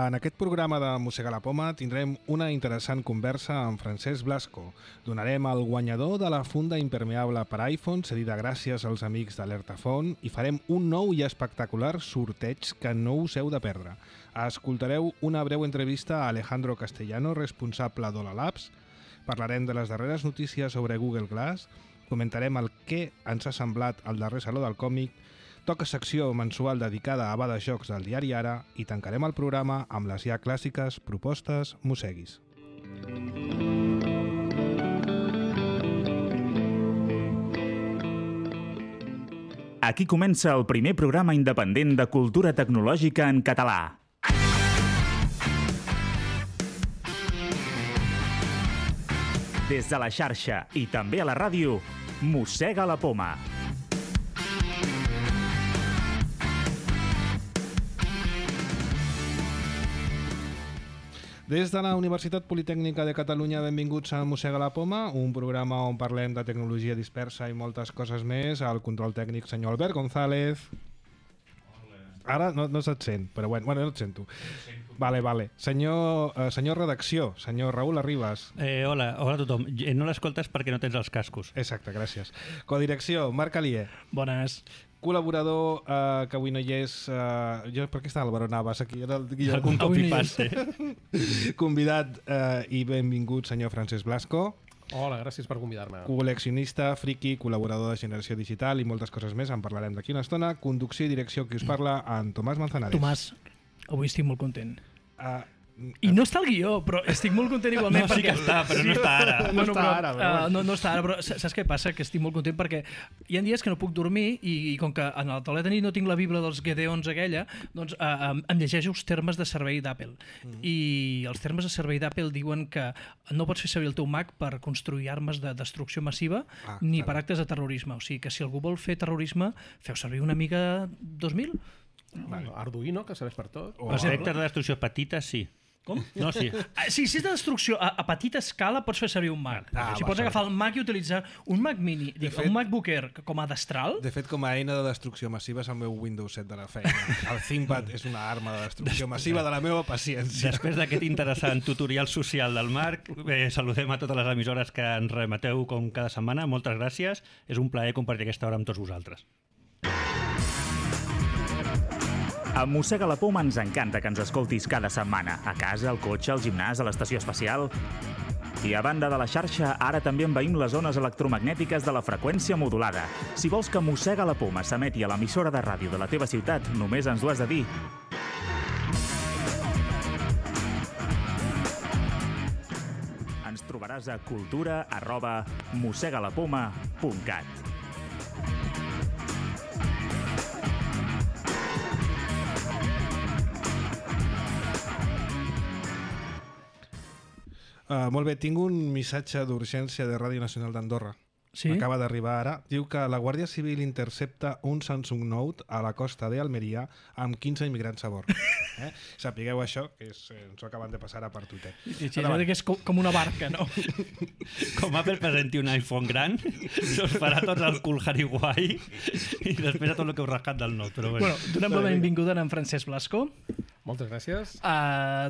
En aquest programa de Mossegar la Poma tindrem una interessant conversa amb Francesc Blasco. Donarem el guanyador de la funda impermeable per iPhone, cedida gràcies als amics d'Alertafont, i farem un nou i espectacular sorteig que no us heu de perdre. Escoltareu una breu entrevista a Alejandro Castellano, responsable d'Hola Labs. Parlarem de les darreres notícies sobre Google Glass, comentarem el que ens ha semblat el darrer Saló del Còmic, toca secció mensual dedicada a bades jocs del diari Ara i tancarem el programa amb les ja clàssiques propostes Mosseguis. Aquí comença el primer programa independent de cultura tecnològica en català. Des de la xarxa i també a la ràdio, Mossega la Poma. Des de la Universitat Politècnica de Catalunya, benvinguts a Mossega la Poma, un programa on parlem de tecnologia dispersa i moltes coses més. Al control tècnic, senyor Albert González. Ara no se't sent, però bueno, no et sento. Vale. Senyor redacció, senyor Raül Arribas. Hola a tothom. No l'escoltes perquè no tens els cascos. Exacte, gràcies. Codirecció, Marc Alier. Bones. Col·laborador que avui no hi és... per què està Álvaro Navas aquí? Era Algun copy-paste. Convidat i benvingut, senyor Francesc Blasco. Hola, gràcies per convidar-me. Col·leccionista, friki, col·laborador de Generació Digital i moltes coses més. En parlarem d'aquí una estona. Conducció i direcció, qui us parla, en Tomàs Manzanares. Tomàs, avui estic molt content. I no està al guió, però estic molt content igualment. No, sí que està, però no està ara. No està ara, però saps què passa? Que estic molt content perquè hi ha dies que no puc dormir i com que en el taulet de nit no tinc la Bíblia dels Gedeons aquella, doncs em llegeixo els termes de servei d'Apple. I els termes de servei d'Apple diuen que no pots fer servir el teu Mac per construir armes de destrucció massiva ni per actes de terrorisme. O sigui que si algú vol fer terrorisme, feu servir una Amiga 2000. Arduino, que serveix per tot. Els vectors de destrucció petites, sí. Com? No, sí. Si és de destrucció a petita escala, pots fer servir un Mac. Pots agafar el Mac i utilitzar un Mac mini, un MacBook Air com a destral. De fet, com a eina de destrucció massiva és el meu Windows 7 de la feina. El ThinkPad és una arma de destrucció massiva de la meva paciència. Després d'aquest interessant tutorial social del Marc, saludem a totes les emissores que ens remeteu com cada setmana. Moltes gràcies. És un plaer compartir aquesta hora amb tots vosaltres. A Mossega la Poma ens encanta que ens escoltis cada setmana, a casa, al cotxe, al gimnàs, a l'estació espacial. I a banda de la xarxa, ara també envaïm les zones electromagnètiques de la freqüència modulada. Si vols que Mossega la Poma s'emeti a l'emissora de ràdio de la teva ciutat, només ens ho has de dir. Ens trobaràs a cultura@mossegalapoma.cat. Molt bé, tinc un missatge d'urgència de Ràdio Nacional d'Andorra. Sí? Acaba d'arribar ara. Diu que la Guàrdia Civil intercepta un Samsung Note a la costa d'Almeria amb 15 immigrants a bord. Sapigueu això, que ens ho acaben de passar a per Twitter. Sí, que és com una barca, no? Com Apple presenti un iPhone gran, se'ls farà tots el cool Harry Guai i després a tot el que heu rascat del Note. Però Bueno, donem la benvinguda a en Francesc Blasco. Moltes gràcies.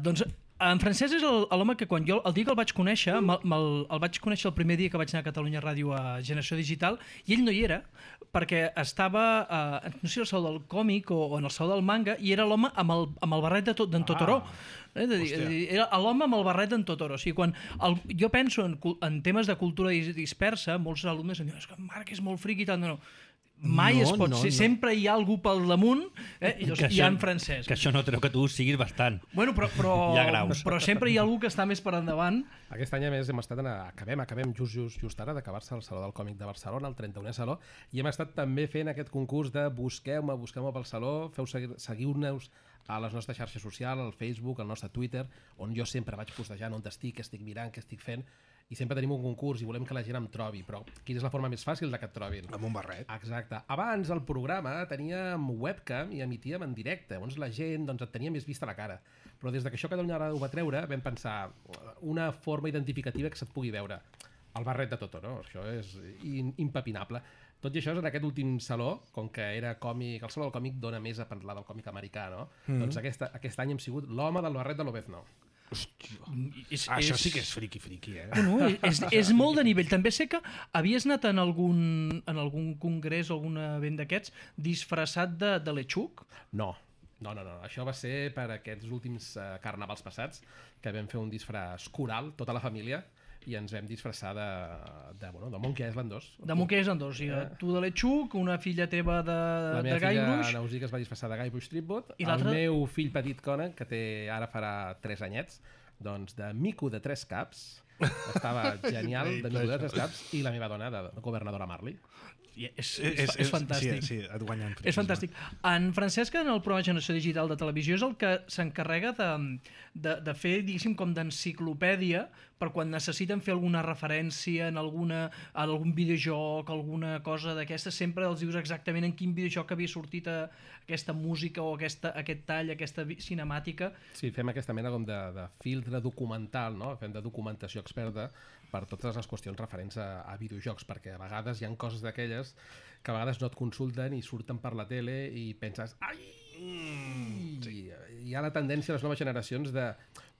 Doncs en Francesc és l'home que quan jo, el dia que el vaig conèixer, el vaig conèixer el primer dia que vaig anar a Catalunya Ràdio a Generació Digital, i ell no hi era, perquè estava, no sé, al Saló del Còmic o en el Saló del Manga, i era l'home amb el barret d'en Totoro. Era l'home amb el barret d'en Totoro. O sigui, quan jo penso en temes de cultura dispersa, molts alumnes em diuen que Marc és molt friqui i tant. No. Mai es pot ser, sempre hi ha algú pel damunt i hi ha en Francesc. Que això no treu que tu siguis bastant. Bueno, però sempre hi ha algú que està més per endavant. Aquest any, a més, hem estat acabem just ara d'acabar-se el Saló del Còmic de Barcelona, el 31è Saló, i hem estat també fent aquest concurs de busqueu-me pel Saló, seguiu-nos a les nostres xarxes socials, al Facebook, al nostre Twitter, on jo sempre vaig postejant on estic, què estic mirant, què estic fent, i sempre tenim un concurs i volem que la gent em trobi, però quina és la forma més fàcil de que et trobin? Amb un barret. Exacte. Abans el programa teníem webcam i emitíem en directe, llavors la gent et tenia més vista la cara, però des que això Catalunya Ràdio ho va treure vam pensar una forma identificativa que se't pugui veure. El barret de Totoro, això és impepinable. Tot i això, en aquest últim saló, com que era còmic, el saló del còmic dona més a parlar del còmic americà, no? Doncs aquest any hem sigut l'home del barret de l'Obezno. Això sí que és friqui, No, és molt de nivell. També sé que havies anat en algun congrés o algun event d'aquests disfressat de Lechuk? No. Això va ser per aquests últims carnavals passats, que vam fer un disfraç coral, tota la família, i ens vam disfressar de Monkey Island 2. De Monkey Island 2, sí. Tu de Lechuk, una filla teva de La meva Guybrush. filla Nausí, que es va disfressar de Guybrush Threepwood. I El meu fill petit Conan, que ara farà 3 anyets, doncs de mico de 3 caps. Estava genial, de mico de 3 caps. I la meva dona, de governadora Marley. És fantàstic. Sí, et guanyen friquisme. És fantàstic. En Francesc, en el programa Generació Digital de Televisió, és el que s'encarrega de fer, diguéssim, com d'enciclopèdia per quan necessiten fer alguna referència en algun videojoc, alguna cosa d'aquesta, sempre els dius exactament en quin videojoc havia sortit aquesta música o aquest tall, aquesta cinemàtica. Sí, fem aquesta mena com de filtre documental, no? Fem de documentació experta per totes les qüestions referents a videojocs, perquè a vegades hi ha coses d'aquelles que a vegades no et consulten i surten per la tele i penses ai! Sí. Hi ha la tendència a les noves generacions de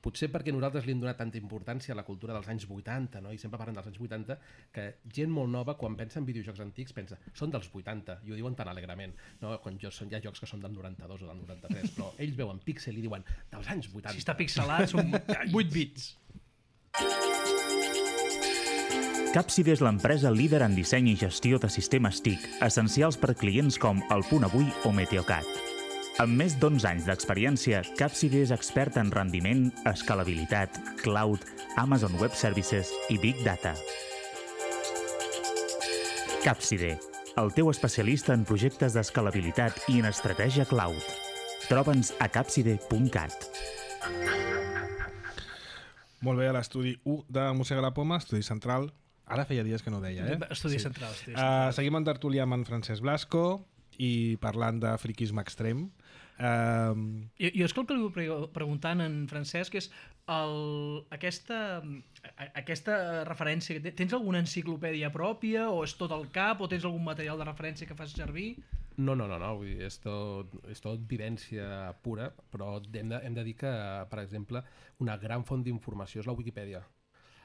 potser perquè nosaltres li hem donat tanta importància a la cultura dels anys 80, no? I sempre parlem dels anys 80, que gent molt nova, quan pensa en videojocs antics, pensa, són dels 80, i ho diuen tan alegrement, no? Quan hi ha jocs que són del 92 o del 93, però ells veuen píxel i diuen, dels anys 80. Si està pixelat, són 8 bits. Capside és l'empresa líder en disseny i gestió de sistemes TIC, essencials per clients com El Punt Avui o Meteocat. Amb més d'11 anys d'experiència, Capside és expert en rendiment, escalabilitat, cloud, Amazon Web Services i Big Data. Capside, el teu especialista en projectes d'escalabilitat i en estratègia cloud. Troba'ns a capside.cat. Molt bé, a l'estudi 1 de Mossega la Poma, estudi central. Ara feia dies que no ho deia, Estudi central. Seguim en tertúlia amb en Francesc Blasco i parlant de friquisme extrem. Jo és que el que li vull preguntar en Francesc és aquesta referència. Tens alguna enciclopèdia pròpia o és tot al cap o tens algun material de referència que fas servir? No, vull dir, és tot vivència pura, però hem de dir que, per exemple, una gran font d'informació és la Wikipedia.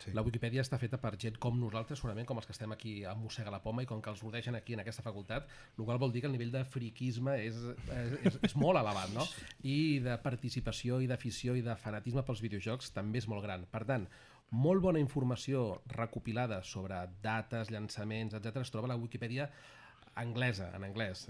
Sí. La Wikipedia està feta per gent com nosaltres, segurament com els que estem aquí a Mossega la Poma i com que els rodegen aquí en aquesta facultat, el qual vol dir que el nivell de friquisme és molt elevat, no? I de participació i d'afició i de fanatisme pels videojocs també és molt gran. Per tant, molt bona informació recopilada sobre dates, llançaments, etc. es troba a la Wikipedia anglesa, en anglès,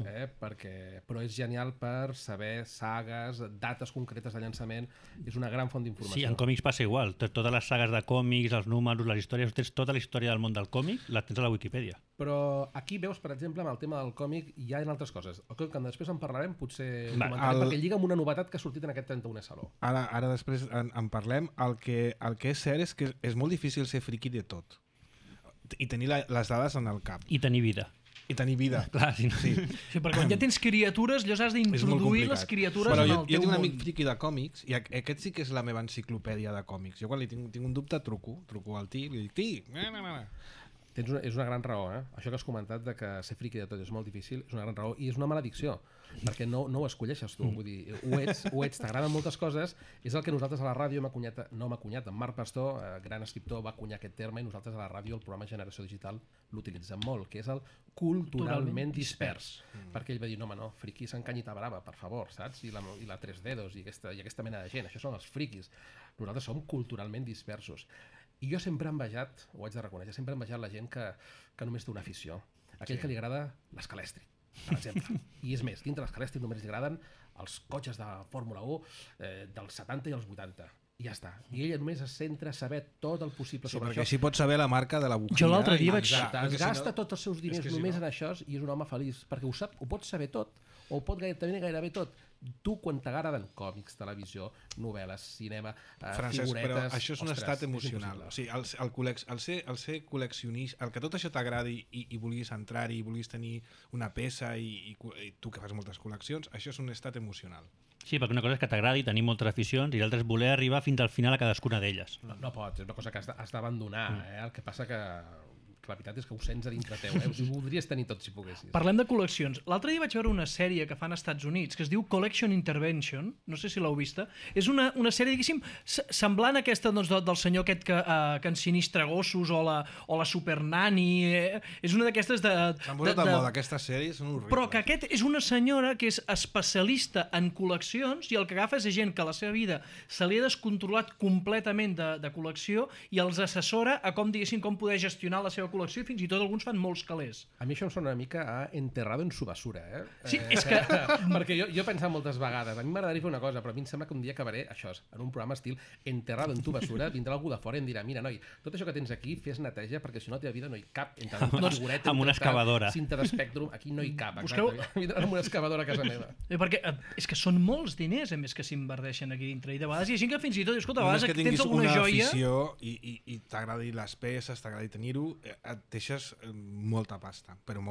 però és genial per saber sagues, dates concretes de llançament, és una gran font d'informació. Sí, en còmics passa igual, totes les sagues de còmics, els números, les històries, tens tota la història del món del còmic, la tens a la Wikipedia. Però aquí veus, per exemple, amb el tema del còmic hi ha altres coses. El que després en parlarem, potser comentarem, perquè lliga amb una novetat que ha sortit en aquest 31è Saló. Ara després en parlem. El que és cert és que és molt difícil ser friqui de tot i tenir les dades en el cap. I tenir vida. I tenir vida. Clar, sí. Sí, perquè quan ja tens criatures, llavors has d'introduir les criatures en el teu món. Jo tinc un amic friqui de còmics i aquest sí que és la meva enciclopèdia de còmics. Jo quan li tinc un dubte truco al Ti i li dic, Ti, És una gran raó, Això que has comentat de que ser friqui de tot és molt difícil, és una gran raó i és una maledicció, perquè no ho escolleixes tu, vull dir, ho ets, t'agraden moltes coses, és el que nosaltres a la ràdio en Marc Pastor, gran escriptor, va acunyar aquest terme i nosaltres a la ràdio, el programa Generació Digital, l'utilitzem molt, que és el culturalment dispers. Perquè ell va dir, no, friqui s'encanyita brava, per favor, saps? I la 3 dedos i aquesta mena de gent, això són els friquis. Nosaltres som culturalment dispersos. I jo sempre he envejat, ho haig de reconèixer, sempre he envejat la gent que només té una afició. Aquell que li agrada l'escalèstric, per exemple. I és més, dintre l'escalèstric només li agraden els cotxes de Fórmula 1 dels 70 i els 80. I ja està. I ella només es centra a saber tot el possible sobre això. Perquè així pot saber la marca de la bujia. Jo l'altre dia vaig... Es gasta tots els seus diners només en això i és un home feliç, perquè ho sap, ho pot saber tot, o ho pot gairebé tot. Tu, quan t'agraden còmics, televisió, novel·les, cinema, Francesc, figuretes... però això és un estat emocional. O sigui, el ser col·leccionista, el que tot això t'agradi i vulguis entrar-hi, i vulguis tenir una peça i tu que fas moltes col·leccions, això és un estat emocional. Sí, perquè una cosa és que t'agradi tenir moltes aficions i l'altra és voler arribar fins al final a cadascuna d'elles. No pots, és una cosa que has d'abandonar. El que passa que que la veritat és que ho sents a dintre teu, ho voldries tenir tot si poguessis. Parlem de col·leccions. L'altre dia vaig veure una sèrie que fan als Estats Units que es diu Collection Intervention, no sé si l'heu vista. És una sèrie, diguéssim, semblant a aquesta doncs, del senyor aquest que ensinistra gossos o la Supernani. És una d'aquestes de... S'han posat de moda aquestes sèries, són horribles. Però que aquest és una senyora que és especialista en col·leccions i el que agafa és gent que la seva vida se li ha descontrolat completament de col·lecció i els assessora a com poder gestionar la seva col·lecció i fins i tot alguns fan molts calés. A mi això em sona una mica a enterrado en su basura, eh? Sí, és que... Perquè jo he pensat moltes vegades, a mi m'agradaria fer una cosa, però a mi em sembla que un dia acabaré, això, en un programa estil enterrado en tu basura, vindrà algú de fora i em dirà, mira, noi, tot això que tens aquí, fes neteja, perquè si no a la teva vida no hi cap. Una figureta, amb una excavadora. Cinta d'espectrum, aquí no hi cap. Busqueu... Vindrà amb una excavadora a casa meva. Perquè és que són molts diners, a més, que s'inverteixen aquí dintre. I de vegades hi ha gent que fins i tot, escolta, a Només vegades que tens alguna una joia... afició i t'agradi les peces, t'agradi tenir-ho, et deixes molta pasta, però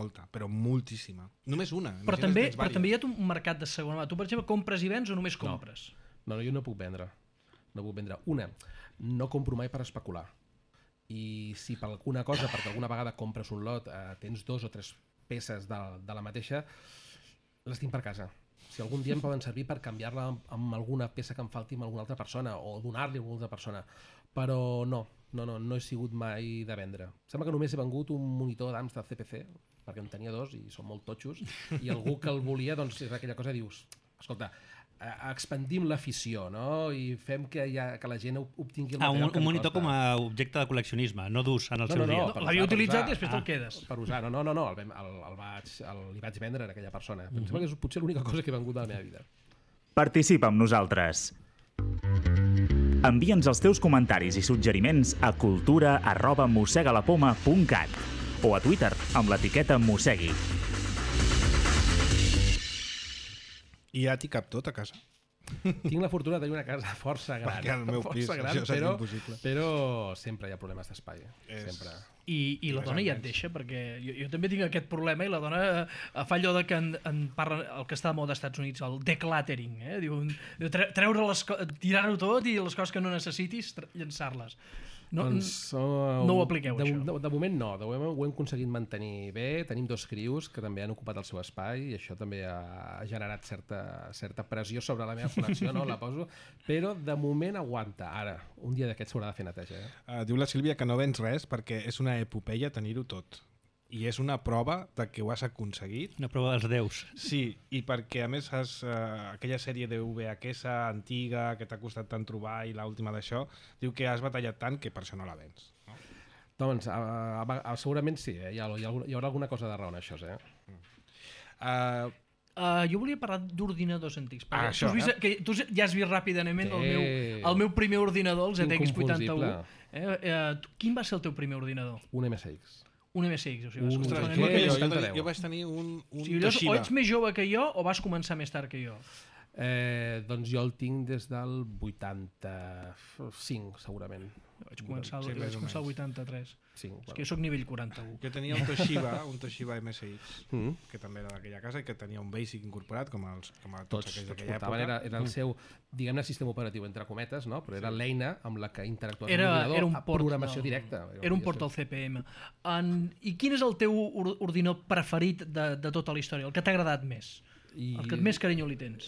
moltíssima. Només una. Però també hi ha un mercat de segona mà. Tu, per exemple, compres i vens o només compres? No, jo no puc vendre. No puc vendre. Una, no compro mai per especular. I si per alguna cosa, perquè alguna vegada compres un lot, tens 2 o 3 peces de la mateixa, les tinc per casa. Si algun dia em poden servir per canviar-la amb alguna peça que em falti amb alguna altra persona o donar-li a alguna altra persona. Però no he sigut mai de vendre. Sembla que només he vengut un monitor d'Amstrad CPC, perquè en tenia 2 i són molt totxos, i algú que el volia, doncs és aquella cosa, dius, escolta, expandim l'afició, no? I fem que la gent obtingui el material que un monitor com a objecte de col·leccionisme, no d'ús en el seu dia. L'havia utilitzat i després te'l quedes. Per usar, no, li vaig vendre a aquella persona. Em sembla que és potser l'única cosa que he vengut de la meva vida. Participa amb nosaltres. Envia'ns els teus comentaris i suggeriments a cultura@mossegalapoma.cat o a Twitter amb l'etiqueta Mossegui. I ja t'hi cap tot a casa. Tinc la fortuna de tenir una casa força gran. Perquè al meu pis això seria impossible. Però sempre hi ha problemes d'espai. Sempre. I la dona ja et deixa, perquè jo també tinc aquest problema i la dona fa allò de que en parla el que està de moda als Estats Units, el decluttering, diu, tirar-ho tot i les coses que no necessitis, llançar-les. No ho apliqueu, això. De moment no, de moment ho hem aconseguit mantenir bé, tenim 2 crios que també han ocupat el seu espai i això també ha generat certa pressió sobre la meva col·lecció, no la poso, però de moment aguanta. Ara, un dia d'aquests s'haurà de fer neteja. Diu la Sílvia que no vens res perquè és una epopeia tenir-ho tot. I és una prova de que ho has aconseguit. Una prova dels déus. Sí, i perquè a més aquella sèrie de VHS antiga que t'ha costat tant trobar i l'última d'això, diu que has batallat tant que per això no la vens. No? Doncs segurament sí, hi haurà alguna cosa de raó en això. Jo volia parlar d'ordinadors antics. Això, tu ja has vist ràpidament el meu primer ordinador, el ZX81. Quin va ser el teu primer ordinador? Un MSX. Un MSX, o sigui, jo vaig tenir un Toshiba. O ets més jove que jo o vas començar més tard que jo? Doncs jo el tinc des del 85, segurament. Vaig començar el 83. Sí, és que jo soc nivell 41. Jo tenia un Toshiba MSX, que també era d'aquella casa i que tenia un BASIC incorporat, com a tots aquells d'aquella època. Era el seu, diguem-ne, sistema operatiu, entre cometes, no? Però era l'eina amb la que interactuava amb l'ordinador a programació directa. Era un port al CPM. I quin és el teu ordinador preferit de tota la història? El que t'ha agradat més? El que més carinyo li tens?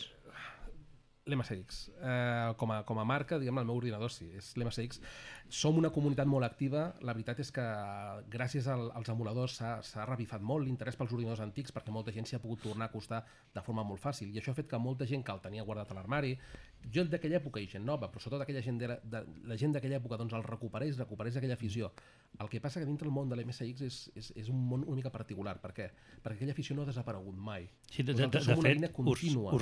L'MSX. Com a marca, diguem, el meu ordinador sí, és l'MSX. Som una comunitat molt activa. La veritat és que gràcies als emuladors s'ha revifat molt l'interès pels ordinadors antics perquè molta gent s'hi ha pogut tornar a acostar de forma molt fàcil i això ha fet que molta gent que el tenia guardat a l'armari, jo d'aquella època i gent nova, però sobretot la gent d'aquella època, doncs el recuperés aquella afició. El que passa que dintre el món de l'MSX és un món una mica particular. Per què? Perquè aquella afició no ha desaparegut mai. Sí, de fet, us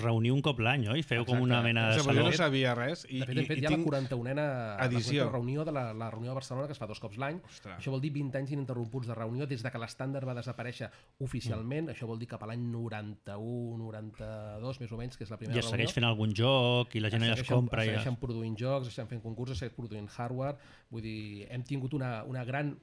reuniu un cop l'any, oi? Feu com una mena de saló. Jo no sabia res. De fet, hi ha la 41a reunió de la reunió de Barcelona que es fa 2 cops l'any. Això vol dir 20 anys ininterromputs de reunió des de que l'estàndard va desaparèixer oficialment. Això vol dir cap a l'any 91-92, més o menys, que és la primera reunió. I es segueix fent algun joc i la gent es compra. Segueixen produint jocs, estan fent concursos, segueixen produint hardware. Vull dir, hem tingut una gran...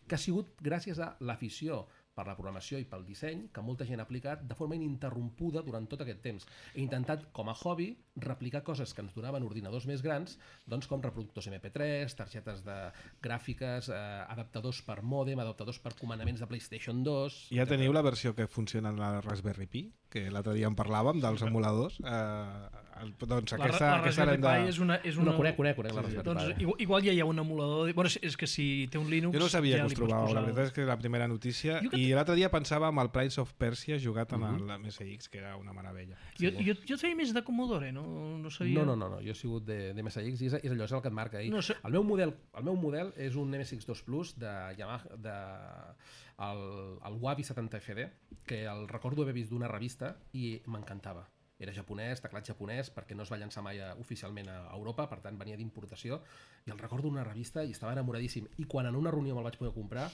que ha sigut gràcies a l'afició per la programació i pel disseny que molta gent ha aplicat de forma ininterrompuda durant tot aquest temps. He intentat, com a hobby, replicar coses que ens donaven ordinadors més grans, doncs com reproductors MP3, targetes de gràfiques, adaptadors per mòdem, adaptadors per comandaments de PlayStation 2... Ja teniu la versió que funciona en la Raspberry Pi, que l'altre dia en parlàvem, dels emuladors. Doncs aquesta la Raspberry Pi és una... No, conec la Raspberry Pi. Doncs igual ja hi ha un emulador... Bueno, és que si té un Linux... Jo no sabia ja que us trobàveu, la veritat és que és la primera notícia. I l'altre dia pensava en el Prince of Persia jugat en el MSX, que era una meravella. Jo feia més de Commodore, no sabia... No, jo he sigut de MSX i és allò, és el que et marca ahir. El meu model és un MSX2 Plus de Yamaha, el Wabi 70 FD, que el recordo haver vist d'una revista i m'encantava. Era japonès, teclat japonès, perquè no es va llançar mai oficialment a Europa, per tant venia d'importació, i el recordo d'una revista i estava enamoradíssim. I quan en una reunió me'l vaig poder comprar,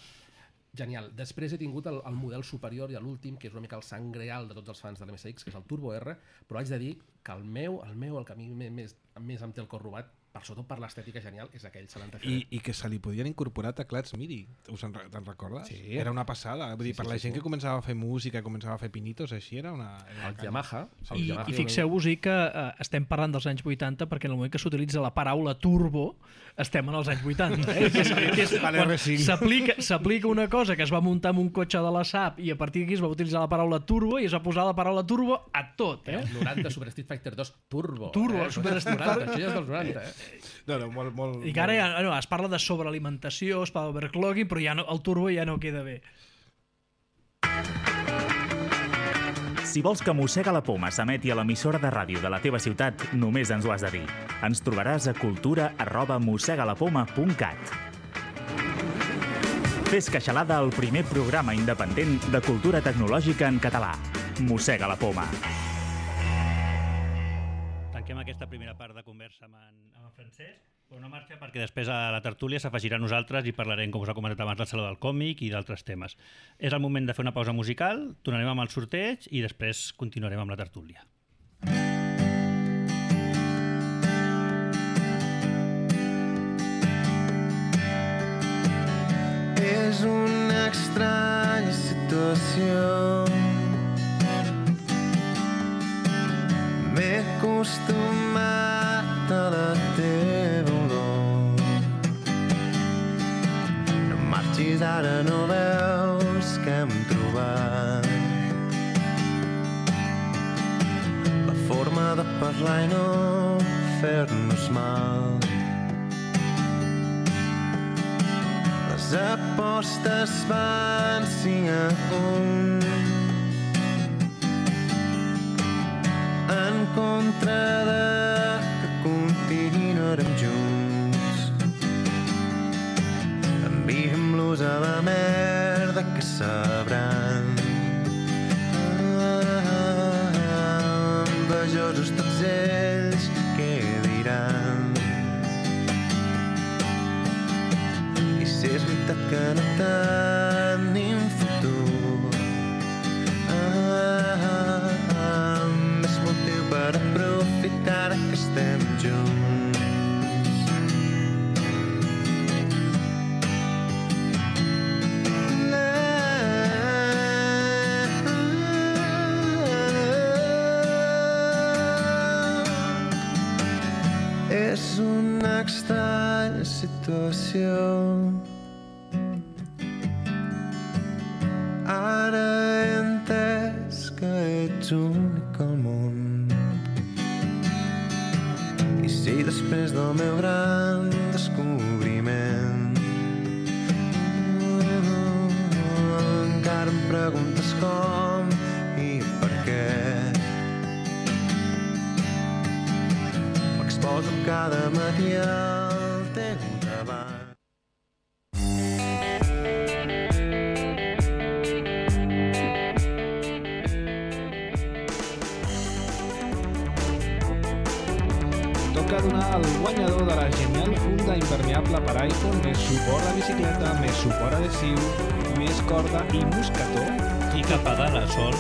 genial. Després he tingut el model superior i l'últim, que és una mica el sang real de tots els fans de l'MSX, que és el Turbo R, però haig de dir que el que a mi més em té el cor robat, per sobretot per l'estètica genial, és aquell 70 FD. I que se li podien incorporar teclats MIDI, te'n recordes? Sí. Era una passada. Vull dir, per la gent que començava a fer música, començava a fer pinitos, així era una... El Yamaha. I fixeu-vos que estem parlant dels anys 80 perquè en el moment que s'utilitza la paraula turbo estem en els anys 80. S'aplica una cosa que es va muntar en un cotxe de la SAP i a partir d'aquí es va utilitzar la paraula turbo i es va posar la paraula turbo a tot. Els 90, Super Street Fighter 2, turbo. Super Street Fighter. Això ja és dels 90, No, molt... I que ara es parla de sobrealimentació, es parla d'overclocking, però ja el turbo ja no queda bé. Si vols que Mossega la Poma s'emeti a l'emissora de ràdio de la teva ciutat, només ens ho has de dir. Ens trobaràs a cultura@mossegalapoma.cat. Fes Queixalada, el primer programa independent de cultura tecnològica en català. Mossega la Poma. Tanquem aquesta primera part de conversa amb en Francesc. Una marxa perquè després a la tertúlia s'afegirà a nosaltres i parlarem, com us ha comentat abans, del Saló del Còmic i d'altres temes. És el moment de fer una pausa musical, tornarem amb el sorteig i després continuarem amb la tertúlia. És una estranya situació. M'he acostumat a la teva olor. No marxis ara, no veus que hem trobat la forma de parlar i no fer-nos mal. Les apostes van 5-1 en contra de que continuarem junts. Enviem-los a la merda que sabran. Envejosos tots ells, què diran? I si és veritat que no tenim futur, més motiu per aprofitar que estem junts. És una estranya situació. Ara he entès que ets únic al món. I si després del meu gran descobriment encara em preguntes com i per què, m'exposo cada matí al teu davant. Toca donar al guanyador de la genial funda impermeable per iPhone més suport a bicicleta, més suport adhesiu, més corda i mosquetó. I que pedala sol.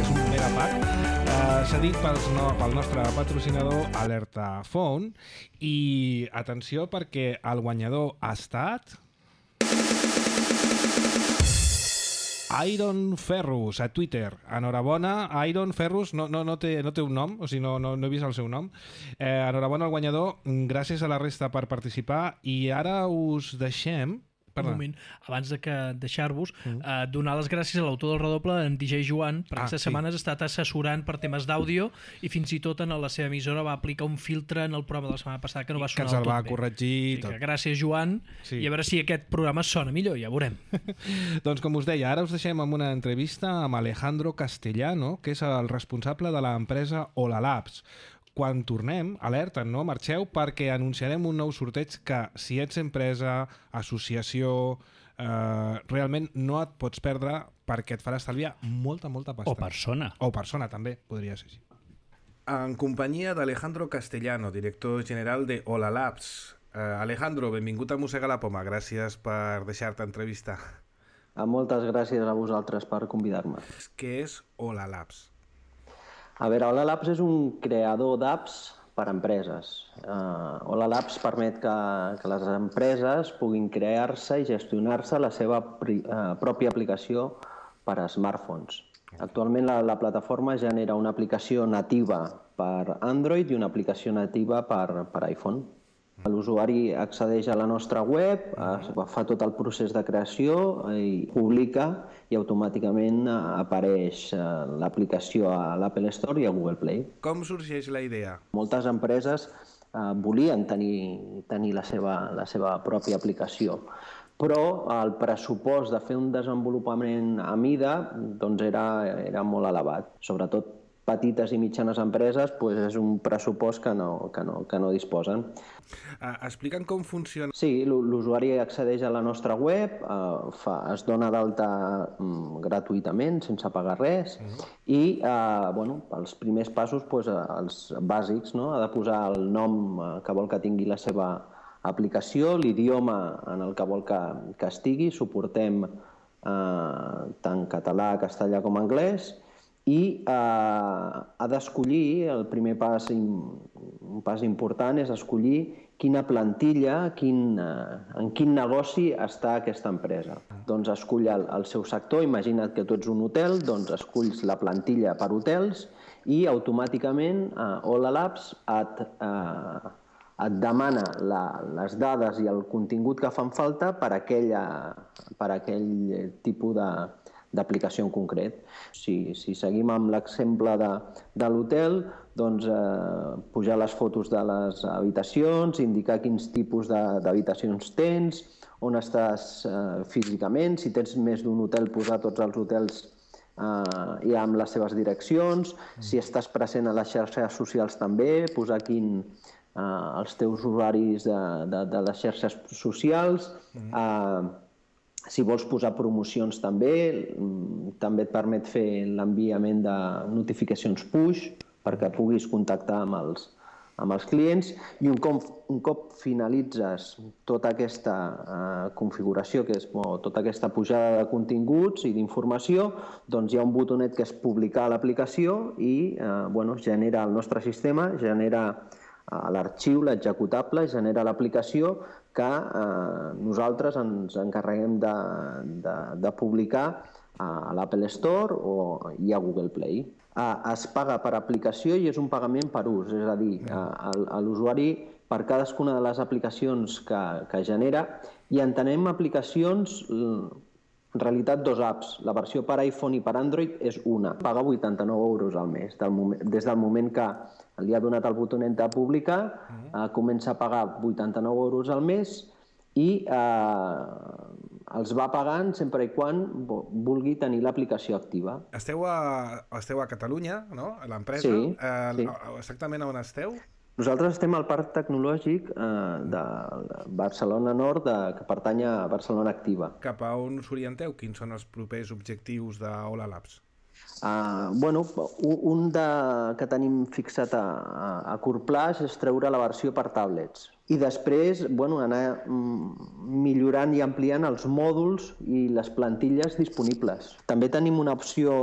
És un megapack. Cedit pel nostre patrocinador Alerta Phone. I atenció perquè el guanyador ha estat... Iron Ferrus, a Twitter. Enhorabona, Iron Ferrus, no té un nom, o sigui, no he vist el seu nom. Enhorabona al guanyador, gràcies a la resta per participar, i ara us deixem... Un moment, abans de deixar-vos, donar les gràcies a l'autor del redoble, en DJ Joan, perquè aquestes setmanes ha estat assessorant per temes d'àudio i fins i tot en la seva emissora va aplicar un filtre en el programa de la setmana passada que no va sonar del tot bé. Que ens el va corregir. Tot. Gràcies, Joan, i a veure si aquest programa sona millor, ja veurem. Doncs com us deia, ara us deixem amb una entrevista amb Alejandro Castellano, que és el responsable de l'empresa Hola Labs. Quan tornem, alerta, no marxeu, perquè anunciarem un nou sorteig que, si ets empresa, associació, realment no et pots perdre perquè et farà estalviar molta pasta. O persona. O persona, també, podria ser així. En companyia d'Alejandro Castellano, director general de Hola Labs. Alejandro, benvingut a Mossega la Poma. Gràcies per deixar-te entrevistar. Moltes gràcies a vosaltres per convidar-me. Què és Hola Labs? A veure, Hola Labs és un creador d'apps per a empreses. Hola Labs permet que les empreses puguin crear-se i gestionar-se la seva pròpia aplicació per a smartphones. Actualment la plataforma genera una aplicació nativa per Android i una aplicació nativa per iPhone. L'usuari accedeix a la nostra web, fa tot el procés de creació i publica i automàticament apareix l'aplicació a l'Apple Store i a Google Play. Com sorgeix la idea? Moltes empreses volien tenir la seva pròpia aplicació, però el pressupost de fer un desenvolupament a mida doncs era molt elevat. Sobretot petites i mitjanes empreses és un pressupost que no disposen. Explica'm com funciona. Sí, l'usuari accedeix a la nostra web, es dona d'alta gratuïtament, sense pagar res, i els primers passos, els bàsics, no? Ha de posar el nom que vol que tingui la seva aplicació, l'idioma en el que vol que estigui, suportem tant català, castellà com anglès, i ha d'escollir, el primer pas, un pas important és escollir quina plantilla, en quin negoci està aquesta empresa. Doncs escull el seu sector, imagina't que tu ets un hotel, doncs esculls la plantilla per hotels i automàticament Hola Labs et demana les dades i el contingut que fan falta per aquell tipus d'aplicació en concret. Si seguim amb l'exemple de l'hotel, doncs pujar les fotos de les habitacions, indicar quins tipus d'habitacions tens, on estàs físicament, si tens més d'un hotel, posar tots els hotels i amb les seves direccions, si estàs present a les xarxes socials també, posar els teus usuaris de les xarxes socials, si vols posar promocions també et permet fer l'enviament de notificacions push perquè puguis contactar amb els clients i un cop finalitzes tota aquesta configuració, que és tota aquesta pujada de continguts i d'informació, doncs hi ha un botonet que és publicar l'aplicació i genera el nostre sistema, genera l'arxiu, l'executable, genera l'aplicació que nosaltres ens encarreguem de publicar a l'Apple Store i a Google Play. Es paga per aplicació i és un pagament per ús, és a dir, l'usuari per cadascuna de les aplicacions que genera, i entenem aplicacions, en realitat dos apps, la versió per iPhone i per Android és una, paga 89 euros al mes, des del moment que li ha donat el botonet de publicar, comença a pagar 89 euros al mes i els va pagant sempre i quan vulgui tenir l'aplicació activa. Esteu a Catalunya, no? A l'empresa? Sí. Exactament on esteu? Nosaltres estem al Parc Tecnològic de Barcelona Nord, que pertany a Barcelona Activa. Cap a on us orienteu? Quins són els propers objectius de Hola Labs? Un que tenim fixat a curt plaç és treure la versió per tablets i després anar millorant i ampliant els mòduls i les plantilles disponibles. També tenim una opció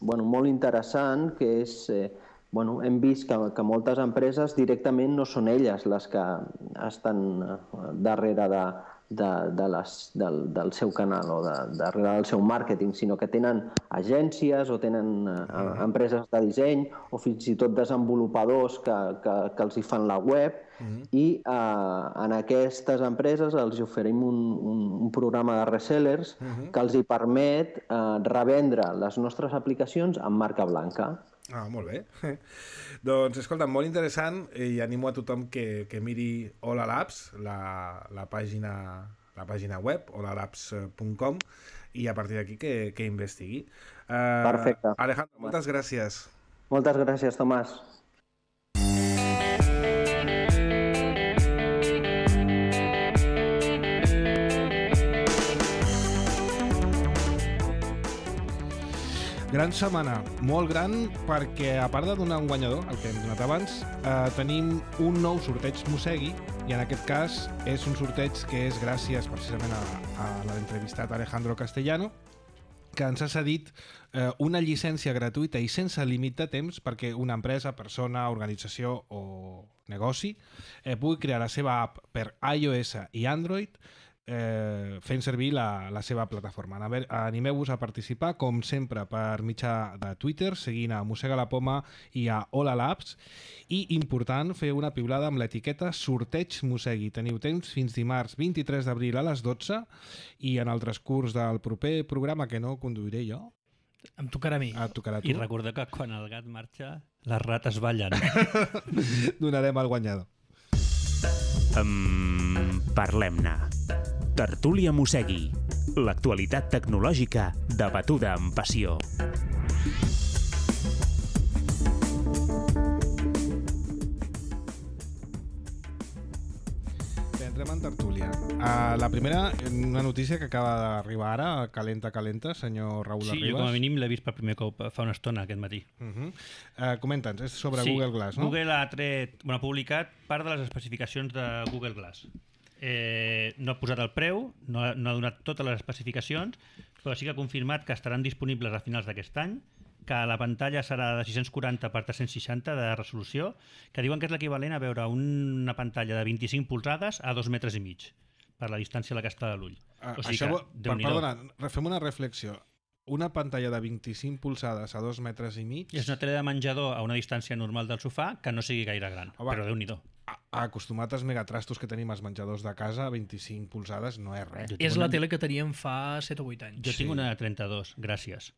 molt interessant que és... hem vist que moltes empreses directament no són elles les que estan darrere del seu canal o darrere del seu màrqueting, sinó que tenen agències o tenen empreses de disseny o fins i tot desenvolupadors que els hi fan la web i en aquestes empreses els oferim un programa de resellers que els hi permet revendre les nostres aplicacions amb marca blanca. Ah, molt bé. Doncs, escolta, molt interessant i animo a tothom que miri Hola Labs, la pàgina web, holalabs.com, i a partir d'aquí que investigui. Perfecte. Alejandro, moltes gràcies. Moltes gràcies, Tomàs. Gran setmana, molt gran, perquè a part de donar un guanyador, el que hem donat abans, tenim un nou sorteig Mosegui, i en aquest cas és un sorteig que és gràcies precisament a l'entrevistat Alejandro Castellano, que ens ha cedit una llicència gratuïta i sense límit de temps perquè una empresa, persona, organització o negoci pugui crear la seva app per iOS i Android fent servir la seva plataforma. Animeu-vos a participar, com sempre, per mitjà de Twitter, seguint a Mossega la Poma i a Hola Labs. I, important, fer una piulada amb l'etiqueta Sorteig Mosegui. Teniu temps fins dimarts 23 d'abril a les 12 i en el transcurs del proper programa, que no conduiré jo, em tocarà a mi. et tocarà a tu. I recordeu que quan el gat marxa, les rates ballen. Donarem el guanyador. Parlem-ne. Tertúlia Mosegui. L'actualitat tecnològica debatuda amb passió. Entrem en tertúlia. La primera, una notícia que acaba d'arribar ara, calenta, senyor Raül Sí, Arribas. jo com a mínim l'he vist per primer cop fa una estona aquest matí. Comenta'ns, és sobre Sí, Google Glass, no? Google ha publicat part de les especificacions de Google Glass. No ha posat el preu, no ha donat totes les especificacions, però sí que ha confirmat que estaran disponibles a finals d'aquest any, que la pantalla serà de 640 per 360 de resolució, que diuen que és l'equivalent a veure una pantalla de 25 polzades a 2,5 metres per la distància a la que està de l'ull. O sigui que, Déu-n'hi-do. Perdona, fem una reflexió. Una pantalla de 25 polzades a 2,5 metres És una tele de menjador a una distància normal del sofà que no sigui gaire gran, però Déu-n'hi-do. Acostumat als megatrastos que tenim als menjadors de casa, 25 polzades no és res. És la tele que teníem fa 7 o 8 anys. Jo tinc una de 32, gràcies.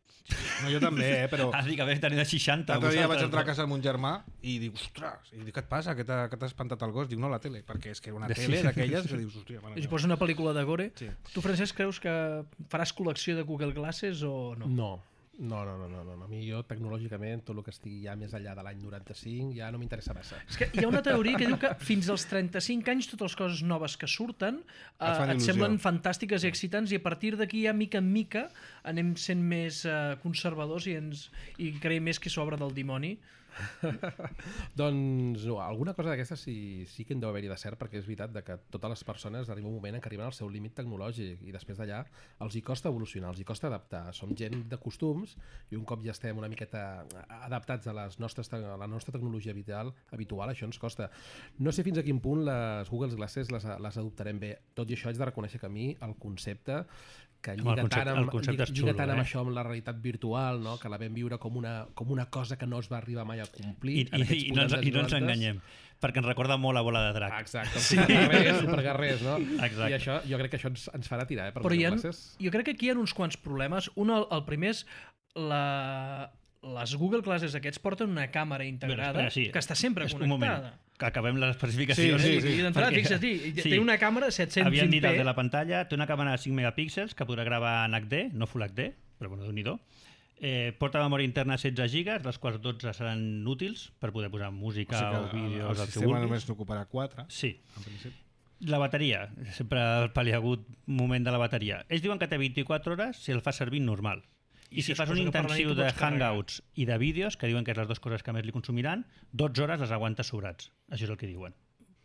No, jo també, però... Has dit que haver tenir de 60. L'altre dia vaig entrar a casa amb un germà i dic, ostres, i dic, què et passa? Que t'ha espantat el gos? Diu, no, la tele, perquè és que era una tele d'aquelles que dius, hòstia... Si posa una pel·lícula de gore. Sí. Tu, Francesc, creus que faràs col·lecció de Google Glasses o no? No. A mi jo tecnològicament tot el que estigui ja més enllà de l'any 95 ja no m'interessa massa. És que hi ha una teoria que diu que fins als 35 anys totes les coses noves que surten et semblen fantàstiques i excitants i a partir d'aquí ja mica en mica anem sent més conservadors i creiem més que s'obra del dimoni. Doncs no, alguna cosa d'aquesta sí que en deu haver-hi de cert, perquè és veritat que totes les persones arriba un moment en què arriben al seu límit tecnològic i després d'allà els hi costa evolucionar, els hi costa adaptar. Som gent de costums i un cop ja estem una miqueta adaptats a la nostra tecnologia habitual, això ens costa. No sé fins a quin punt les Google Glasses les adoptarem bé. Tot i això haig de reconèixer que a mi el concepte que lliga tant amb això, amb la realitat virtual, no? Que la vam viure com una cosa que no es va arribar mai a complir. I no ens enganyem, perquè ens recorda molt a Bola de Drac. Exacte, superguerrers, no? Exacte. I això, jo crec que això ens farà tirar, per Però Glasses. Jo crec que aquí hi ha uns quants problemes. El primer és les Google Glasses aquests porten una càmera integrada que està sempre connectada. Un moment, que acabem les especificacions. Sí. D'entrada, fixa't, té una càmera 720p. Havien dit de la pantalla, té una càmera de 5 megapíxels que podrà gravar en HD, no Full HD, però bueno, Déu-n'hi-do. Porta memòria interna 16 gigas, les quals 12 seran útils per poder posar música o vídeos. El sistema només n'ocuparà 4. Sí. La bateria, sempre el paliagut moment de la bateria. Ells diuen que té 24 hores si el fas servir normal. I si fas un intensiu de hangouts i de vídeos, que diuen que és les dues coses que més li consumiran, 12 hores les aguantes sobrats. Això és el que diuen.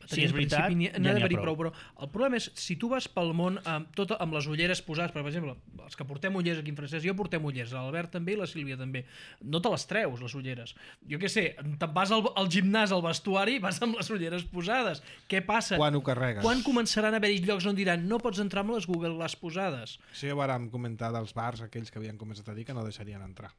Si és veritat, n'ha ja n'hi ha d'haver-hi prou. Però el problema és, si tu vas pel món amb les ulleres posades, per exemple, els que portem ulleres aquí en Francesc, jo portem ulleres, l'Albert també i la Sílvia també, no te les treus, les ulleres. Jo què sé, te'n vas al gimnàs, al vestuari, vas amb les ulleres posades. Què passa? Quan ho carregues? Quan començaran a haver-hi llocs on diran no pots entrar amb les Google Glass posades? Això ja ho vàrem comentar dels bars, aquells que havien començat a dir que no deixarien entrar.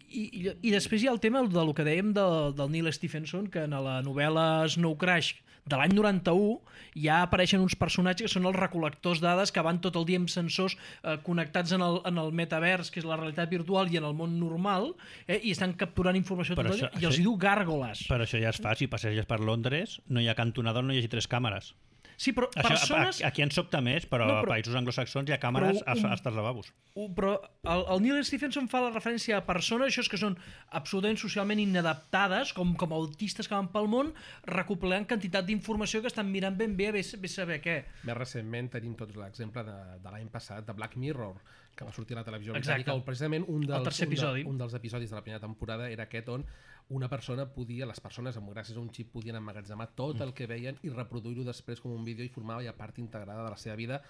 I després hi ha el tema del que dèiem del Neil Stephenson, que en la novel·la Snow Crash de l'any 91 ja apareixen uns personatges que són els recol·lectors dades que van tot el dia amb sensors connectats en el metavers, que és la realitat virtual, i en el món normal, i estan capturant informació tot el dia, i els hi diu gàrgoles. Però això ja es fa, si passeges per Londres, no hi ha cantonador, no hi hagi 3 càmeres. Sí, però Això, persones... aquí en sobta més, però a països anglosaxons hi ha càmeres als lavabos. Però el Neil Stephenson fa la referència a persones això és que són absolutament socialment inadaptades, com autistes que van pel món, recopilant quantitat d'informació que estan mirant ben bé saber què. Més recentment tenim tots l'exemple de l'any passat, de Black Mirror, que va sortir a la televisió Exacte. britànica, on precisament un El dels episodis de la primera temporada era aquest on una persona les persones gràcies a un xip podien emmagatzemar tot el que veien i reproduir-ho després com un vídeo i formava ja part integrada de la seva vida,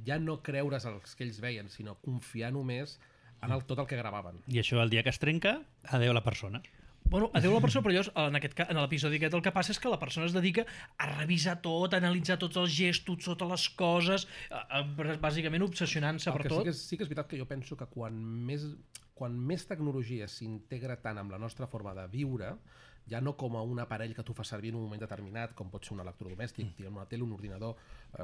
ja no creure's els que ells veien, sinó confiar només en tot el que gravaven. I això el dia que es trenca, adeu a la persona. Bueno, adeu la persona, però en l'episodi aquest el que passa és que la persona es dedica a revisar tot, a analitzar tots els gestos, totes les coses, bàsicament obsessionant-se per tot. Sí que és veritat que jo penso que quan més tecnologia s'integra tant amb la nostra forma de viure, ja no com a un aparell que tu fas servir en un moment determinat, com pot ser un electrodomèstic, una tele, un ordinador,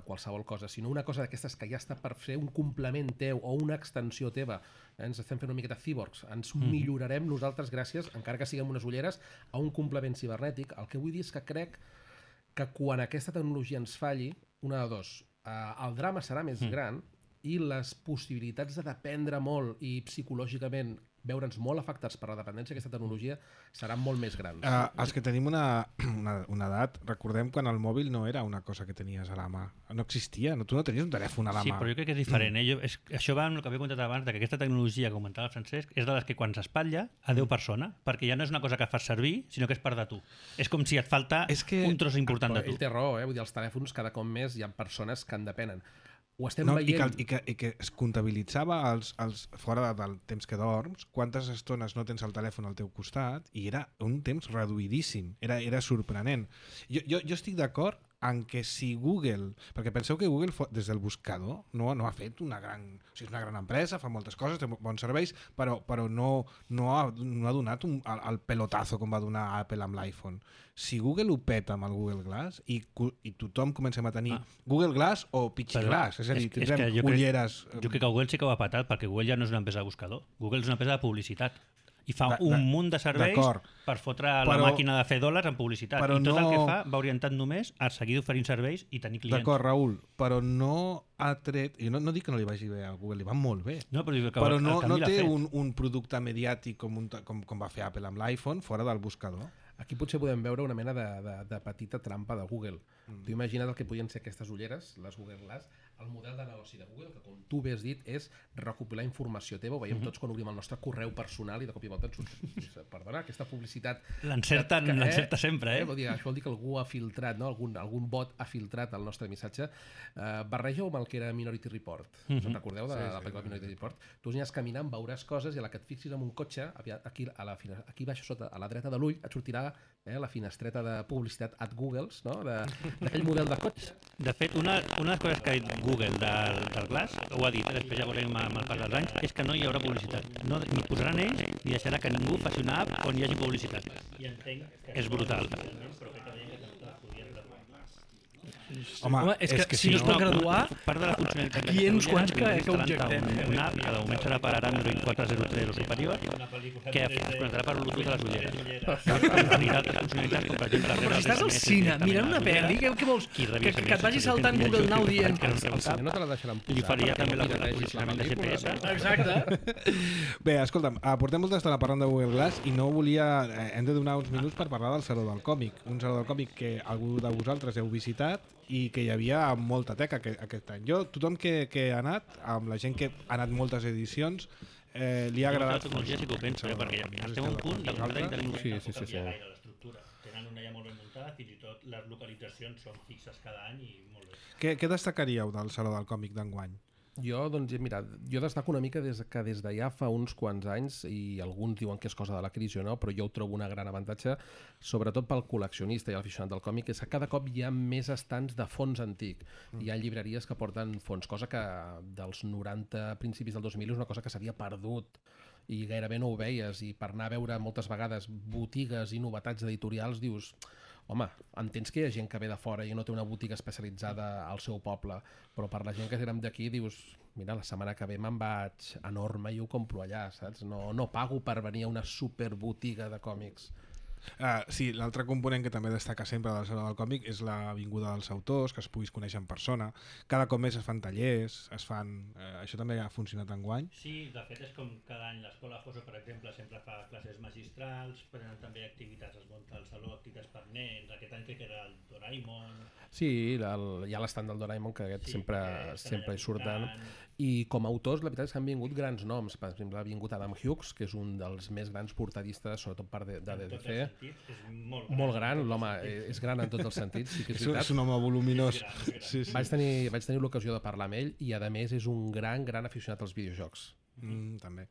qualsevol cosa, sinó una cosa d'aquestes que ja està per fer un complement teu o una extensió teva. Ens estem fent una miqueta cyborgs, ens millorarem nosaltres gràcies, encara que siguem unes ulleres, a un complement cibernètic. El que vull dir és que crec que quan aquesta tecnologia ens falli, una de dos, el drama serà més gran i les possibilitats de dependre molt i psicològicament veure'ns molt afectats per la dependència d'aquesta tecnologia seran molt més grans. Els que tenim una edat, recordem quan el mòbil no era una cosa que tenies a la mà. No existia, tu no tenies un telèfon a la mà. Sí, però jo crec que és diferent. Això va amb el que havia comentat abans, que aquesta tecnologia que comentava el Francesc és de les que quan s'espatlla, adeu persona, perquè ja no és una cosa que fas servir, sinó que és part de tu. És com si et falta un tros important de tu. Ell té raó, vull dir, els telèfons cada cop més hi ha persones que en depenen. Ho estem veient. I que es comptabilitzava fora del temps que dorms, quantes estones no tens el telèfon al teu costat, i era un temps reduïdíssim, era sorprenent. Jo estic d'acord en que si Google, perquè penseu que Google des del buscador no ha fet una gran... O sigui, és una gran empresa, fa moltes coses, té bons serveis, però no ha donat el pelotazo com va donar Apple amb l'iPhone. Si Google ho peta amb el Google Glass i tothom comencem a tenir Google Glass o Pixie Glass, és a dir, tindrem ulleres... Jo crec que Google sí que ho ha patat, perquè Google ja no és una empresa de buscador. Google és una empresa de publicitat. I fa un munt de serveis per fotre la màquina de fer dòlars en publicitat. I tot el que fa va orientat només a seguir oferint serveis i tenir clients. D'acord, Raül, però no ha tret... Jo no dic que no li vagi bé a Google, li va molt bé. No, però no té un producte mediàtic com va fer Apple amb l'iPhone fora del buscador. Aquí potser podem veure una mena de petita trampa de Google. Tu imagina't el que podien ser aquestes ulleres, les Google Glass, el model de negoci de Google, que com tu bé has dit, és recopilar informació teva. Ho veiem tots quan obrim el nostre correu personal i de cop i volta ens surt. Perdona, aquesta publicitat... L'encerta sempre, Vol dir, això vol dir que algú ha filtrat, no? Algun bot ha filtrat el nostre missatge. Barreja-ho amb el que era Minority Report. Us en recordeu de la pel·lícula Minority Report? Tu aniràs caminant, veuràs coses i a la que et fixis en un cotxe, aquí baix sota, a la dreta de l'ull, et sortirà la finestreta de publicitat at Googles, no? D'aquell model de cotxe. De fet, una de les coses que ha dit Google del Glass, ho ha dit, després ja veurem amb el pas dels anys, és que no hi haurà publicitat. No posaran ells i deixarà que ningú faci una app on hi hagi publicitat. És brutal. Home, és que si no es pot graduar, part de la funcionalitat aquí hi ha uns quants que objectem. Una app que de moment serà per Android 4.0.0 superior, que es connectarà per Bluetooth a les ulleres. I d'altres funcionalitats, com per exemple... Però si estàs al cine mirant una pel·li, què vols? Que et vagi saltant Google Now dient... No te la deixaran posar. Li faria també la posicionament de GPS. Exacte. Bé, escolta'm, portem molta estona parlant de Google Glass i no volia... Hem de donar uns minuts per parlar del Saló del Còmic. Un Saló del Còmic que algú de vosaltres heu visitat i que hi havia molta teca aquest any. Tothom que ha anat, amb la gent que ha anat moltes edicions, li ha agradat... La tecnologia sí que ho penso, perquè ja estem a un punt de la intel·ligència no pot canviar gaire l'estructura. Tenen una ja molt ben muntada, fins i tot les localitzacions són fixes cada any i molt bé. Què destacaríeu del Saló del Còmic d'enguany? Jo, doncs, mira, jo destaco una mica des de ja fa uns quants anys, i alguns diuen que és cosa de la crisi o no, però jo ho trobo una gran avantatge, sobretot pel col·leccionista i l'aficionat del còmic, és que cada cop hi ha més estants de fons antic. Hi ha llibreries que porten fons, cosa que dels 90, principis del 2000, és una cosa que s'havia perdut i gairebé no ho veies, i per anar a veure moltes vegades botigues i novetats editorials dius... Home, entens que hi ha gent que ve de fora i no té una botiga especialitzada al seu poble, però per la gent que érem d'aquí dius, mira, la setmana que ve me'n vaig a Norma i ho compro allà, saps? No pago per venir a una superbotiga de còmics. Sí, l'altre component que també destaca sempre del Saló del Còmic és la vinguda dels autors, que es puguis conèixer en persona. Cada cop més es fan tallers, això també ha funcionat enguany. Sí, de fet és com cada any l'Escola Foso, per exemple, sempre fa classes magistrals, prenen també activitats, es munta al Saló, activitats per nens, aquest any crec que era el Doraemon... Sí, hi ha l'estant del Doraemon, que aquest sempre hi surten. I com a autors, la veritat és que han vingut grans noms. Per exemple, ha vingut Adam Hughes, que és un dels més grans portadistes, sobretot per de DDC. És molt gran, l'home és gran en tots els sentits, sí que és veritat. És un home voluminós. Sí. Vaig tenir l'ocasió de parlar amb ell i a més és un gran aficionat als videojocs. També.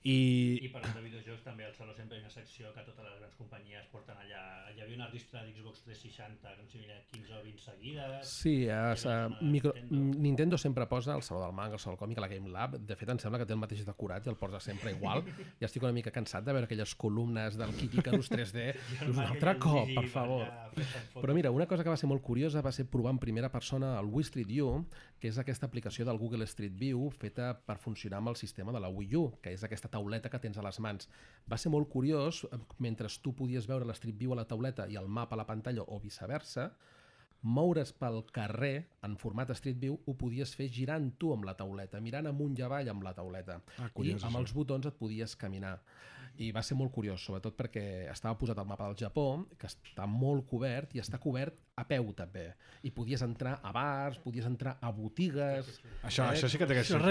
I parlant de videojocs, també al Saló sempre hi ha una secció que totes les grans companyies porten allà. Hi havia una ristra d'Xbox 360, que no sé, 15 o 20 seguides. Sí, Nintendo sempre posa al Saló del Manga, al Saló del Còmic, a la Game Lab. De fet, em sembla que té el mateix decorat i el posa sempre igual. Ja estic una mica cansat de veure aquelles columnes del Kid Icarus 3D. Un altre cop, per favor. Però mira, una cosa que va ser molt curiosa va ser provar en primera persona el Wii Street View, que és aquesta aplicació del Google Street View feta per funcionar amb el sistema de la Wii U, que és aquesta tauleta que tens a les mans. Va ser molt curiós, mentre tu podies veure l'Street View a la tauleta i el mapa a la pantalla o viceversa, moure's pel carrer en format Street View ho podies fer girant tu amb la tauleta, mirant amunt i avall amb la tauleta. Curiós, I amb els botons et podies caminar. I va ser molt curiós, sobretot perquè estava posat al mapa del Japó, que està molt cobert i està cobert a peu també. I podies entrar a bars, podies entrar a botigues... Això sí que té que ser. Això és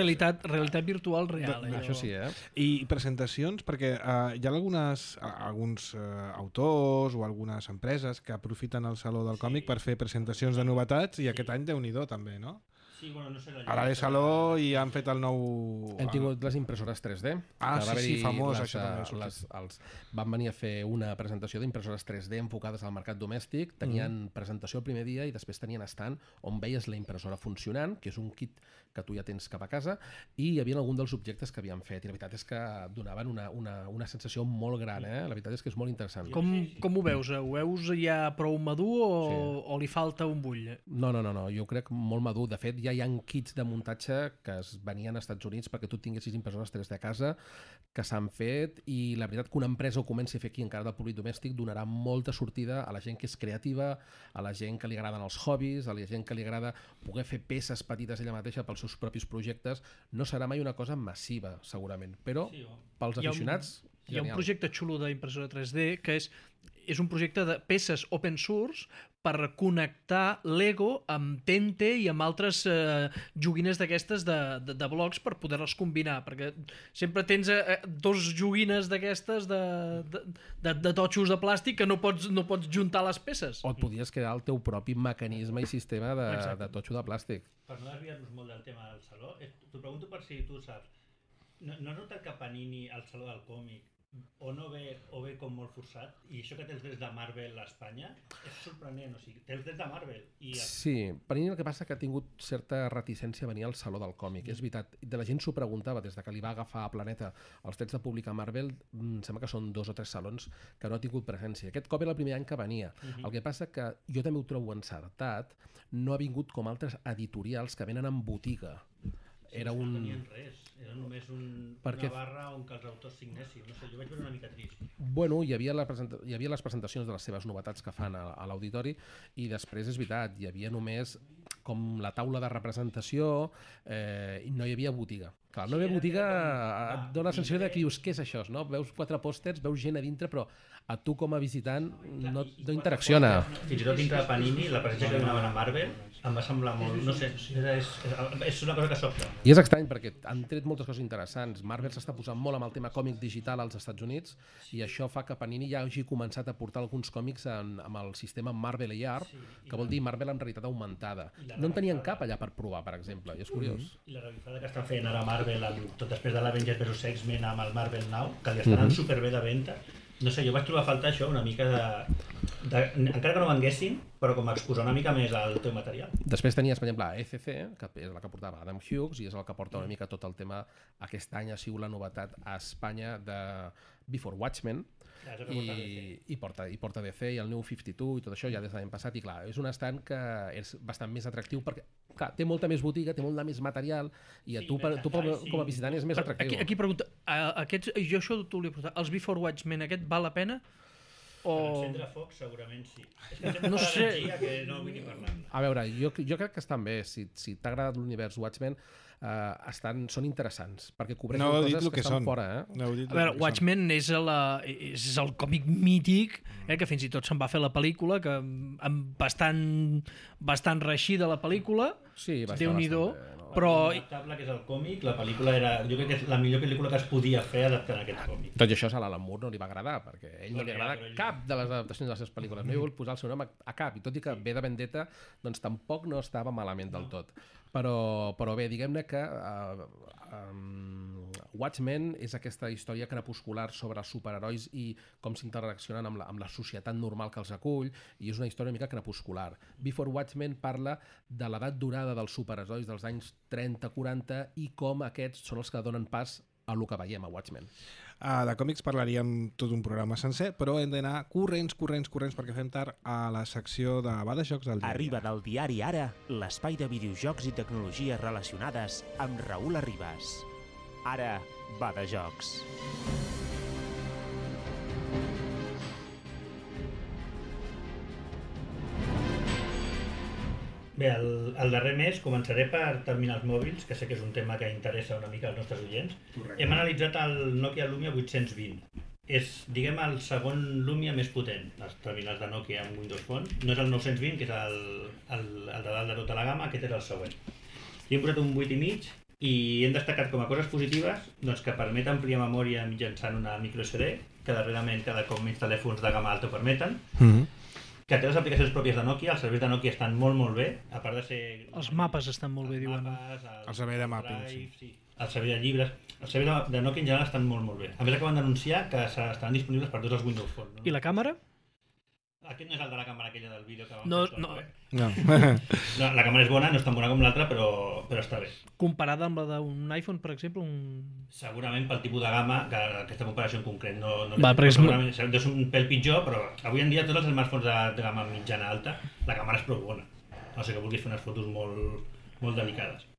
realitat virtual real. Això sí, I presentacions, perquè hi ha alguns autors o algunes empreses que aprofiten el Saló del Còmic per fer presentacions de novetats i aquest any Déu-n'hi-do també, no? Sí, bueno, no sé... A l'Are Saló i han fet el nou... Hem tingut les impressores 3D. Sí, famós, això també. Van venir a fer una presentació d'impressores 3D enfocades al mercat domèstic. Tenien presentació el primer dia i després tenien stand on veies la impressora funcionant, que és un kit que tu ja tens cap a casa, i hi havia algun dels objectes que havien fet. I la veritat és que donaven una sensació molt gran, La veritat és que és molt interessant. Com ho veus? Ho veus ja prou madur o li falta un bull? No, jo crec molt madur. De fet, ja hi ha kits de muntatge que es venien als Estats Units perquè tu tinguessis impressores 3D a casa, que s'han fet, i la veritat que una empresa ho comenci a fer aquí encara del públic domèstic donarà molta sortida a la gent que és creativa, a la gent que li agraden els hobbies, a la gent que li agrada poder fer peces petites ella mateixa pels seus propis projectes. No serà mai una cosa massiva, segurament, però pels aficionats... Hi ha un projecte xulo d'impressora 3D que és un projecte de peces open source per connectar Lego amb Tente i amb altres joguines d'aquestes de blocs per poder-les combinar, perquè sempre tens dos joguines d'aquestes de totxos de plàstic que no pots juntar les peces. O et podies crear el teu propi mecanisme i sistema de totxo de plàstic. Per no desviar-nos molt del tema del Saló, t'ho pregunto per si tu saps. No has notat que Panini al Saló del Còmic o ve com molt forçat, i això que té els drets de Marvel a Espanya és sorprenent, o sigui, té els drets de Marvel Sí, Panini el que passa que ha tingut certa reticència a venir al Saló del Còmic, és veritat, de la gent s'ho preguntava des de que li va agafar a Planeta els drets de publicar Marvel. Sembla que són 2 o 3 salons que no ha tingut presència. Aquest cop era el primer any que venia. El que passa que jo també ho trobo encertat, no ha vingut com altres editorials que venen en botiga. No tenien res, era només una barra on que els autors signessin. No sé, jo vaig veure una mica trist. Bueno, hi havia les presentacions de les seves novetats que fan a l'auditori, i després és veritat, hi havia només com la taula de representació, i no hi havia botiga. Clar, la nova botiga et dona la sensació de que dius, què és això? No? Veus 4 pòsters, veus gent a dintre, però a tu com a visitant no interacciona. Fins i tot dintre de Panini, la presència que donaven a Marvel em va semblar molt... No sé, és una cosa que sobta. I és estrany perquè han tret moltes coses interessants. Marvel s'està posant molt amb el tema còmic digital als Estats Units i això fa que Panini ja hagi començat a portar alguns còmics amb el sistema Marvel AR, que vol dir Marvel en realitat augmentada. No en tenien cap allà per provar, per exemple, i és curiós. I la revifada que estan fent ara Marvel, tot després de l'Avengers vs X-Men amb el Marvel Now, que li estan anant superbé de venda. No sé, jo vaig trobar a faltar això, una mica encara que no venguessin, però com a exposar una mica més el teu material. Després tenies, per exemple, ECC, que és la que portava Adam Hughes, i és el que porta una mica tot el tema. Aquest any ha sigut la novetat a Espanya de Before Watchmen, i porta DC i el New 52 i tot això ja des de l'any passat, i clar, és un estand que és bastant més atractiu perquè clar, té molta més botiga, té molt més material i a tu com a visitant és més atractiu. Aquí pregunta, jo això t'ho volia preguntar, els Before Watchmen aquest val la pena? Per encendre foc segurament sí. És que sempre no sé. Que no vull ni parlar. A veure, jo crec que estan bé, si t'ha agradat l'univers Watchmen, són interessants, perquè cobreixen coses que estan fora. A veure, Watchmen és el còmic mític, que fins i tot se'n va fer la pel·lícula, que bastant reeixida la pel·lícula, Déu-n'hi-do, però... Adaptable que és el còmic, la pel·lícula era... Jo crec que és la millor pel·lícula que es podia fer adaptant aquest còmic. Tot i això a l'Alan Moore no li va agradar, perquè a ell no li agrada cap de les adaptacions de les seves pel·lícules. No hi vol posar el seu nom a cap, i tot i que ve de Vendetta, doncs tampoc no estava malament del tot. Però bé, diguem-ne que Watchmen és aquesta història crepuscular sobre els superherois i com s'interaccionen amb la societat normal que els acull, i és una història una mica crepuscular. Before Watchmen parla de l'edat dorada dels superherois dels anys 30-40 i com aquests són els que donen pas a el que veiem a Watchmen. De còmics parlaríem tot un programa sencer, però hem d'anar corrents, perquè fem tard a la secció de Va de Jocs del diari. Arriba del diari Ara, l'espai de videojocs i tecnologies relacionades amb Raül Arribas. Ara, Va de Jocs. Bé, el darrer mes començaré per terminals mòbils, que sé que és un tema que interessa una mica als nostres oients. Correcte. Hem analitzat el Nokia Lumia 820. És, diguem, el segon Lumia més potent, els terminals de Nokia amb Windows Phone. No és el 920, que és el de dalt de tota la gamma, aquest és el següent. Hi hem posat un 8,5 i hem destacat com a coses positives doncs, que permet ampliar memòria mitjançant una microSD, que darrerament cada cop més telèfons de gamma alta ho permeten. Que té les aplicacions pròpies de Nokia, els serveis de Nokia estan molt bé, a part de ser... Els mapes estan molt bé, diuen. El servei de mapping, sí. El servei de llibres... Els serveis de Nokia en general estan molt bé. A més, acaben d'anunciar que estaran disponibles per tots els Windows Phone. I la càmera? Aquest no és el de la càmera aquella del vídeo que vam fer. No. La càmera és bona, no és tan bona com l'altra, però està bé. Comparada amb la d'un iPhone, per exemple? Segurament pel tipus de gamma, que aquesta comparació en concret segurament és un pèl pitjor, però avui en dia tots els smartphones de gamma mitjana alta, la càmera és prou bona. No sé que vulguis fer unes fotos molt delicades.